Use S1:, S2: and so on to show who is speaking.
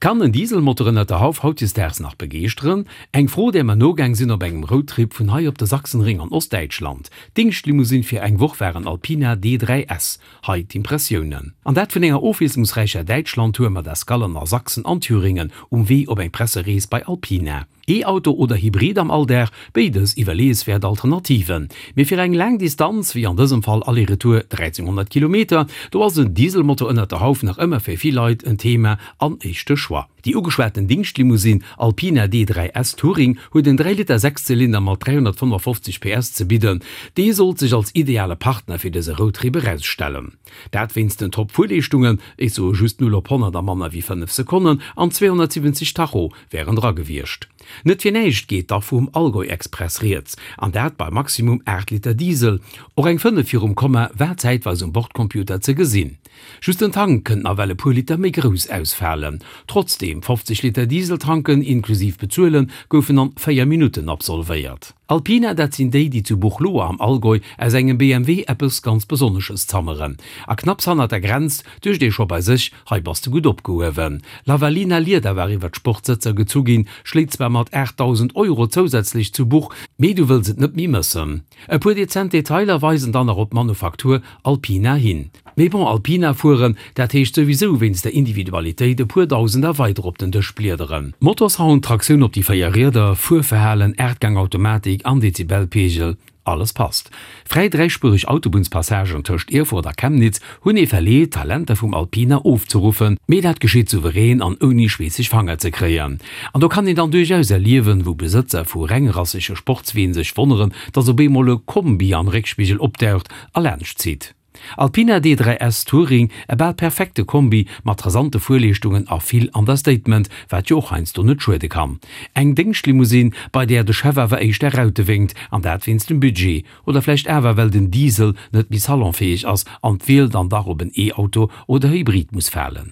S1: Kann en Dieselmotor ënnert der Hauf hautdesdaags nach begeeschteren? Eng Fro, där mer nogaang sinn op engem Roadtrip vun hei op de Sachsenring an Ostdäitschland. D'Dingschtlimousine fir eng Woch war en Alpina D3 S. Hei d'Impressiounen. An dat vun enger ofwiesslungsräicher Däitschland-Tour mat Escallen a Sachsen an Thüringen um Wee op eng Presserees bei Alpina. E-Auto oder Hybrid am Alldag, béides iwwerleeëswäert Alternativen. Mee fir eng laang Distanz, wéi an dësem Fall Aller-Retour 1300 Kilometer, do ass en Dieselmotor ënnert der Hauf nach ëmmer fir vill Leit en Thema an éischte Choix. Déi ugeschwaten Dingschtlimousine Alpina D3 S Touring huet en 3 Liter Sechszylinder mat 355 PS ze bidden. Dee sollt sech als ideale Partner fir dëse Roadtrip erausstellen. Dat wéinst den Top-Fuerleeschtungen, ech soe just 0 op 100 a manner wéi 5 Sekonnen an 270 Tacho wären dra gewiescht. Net fir näischt geet da vum Allgäu-Express rieds, an dat bei maximum 8 Liter Diesel. Och eng 5 virum Komma war zäitweis um Bordcomputer ze gesinn. Just den Tank kënnt nawell e puer Liter méi grouss ausfalen. Trotzdeem, 50 Liter Diesel tanken inklusiv bezuelen goufen an 4 Minutten absolvéiert. Alpina, dat sinn déi, déi zu Buchloe am Allgäu aus engem BMW eppes ganz Besonnesches zammeren. A knapps hannert der Grenz duecht ee scho bei sech, hei bass de gutt opgehuewen. Lavalina Lieder war iwwer d'Sportsëtzer gezu ginn, schléit zwar mat 8.000 Euro zousätzlech zu Buch, mee du wëlls et net méi mëssen. E puer dezent Detailer weisen dann nach op d'Manufaktur Alpina hin. Mee bon, Alpina fueren, dat heescht souwisou wéinst der Individualitéit e puer Dausender weider op den Dësch bliederen. Motorsound, Traktioun op déi 4 Rieder, Fuerverhalen, Aachtgang-Automatik an Dezibelpegel, alles passt. Fräi dräispuereg Autobunnspassagen tëscht Erfurt a Chemnitz hunn ee verleet, d'Talenter vum Alpina ofzeruffen, mee dat geschitt souverän an ouni schweesseg Fanger ze kréien. An do kann een dann duerchaus erliewen, wou Besëtzer vu rengrassege Sportsween sech wonneren, dass op eemol e Kombi am Réckspigel opdaucht a laanscht zitt. Alpina D3 S Touring, e bal perfekte Kombi mat rasante Fuerleeschtungen a vill Understatement, wat jo och heiansdo net schuede kann. Eng Déngschtlimousine, bei där de Chef awer éischter Raute wénkt, an dat wéinst dem Budget. Oder vläicht awer well den Diesel net méi salonfäeg ass an d'Wiel dann dach op en E-Auto oder Hybrid muss falen.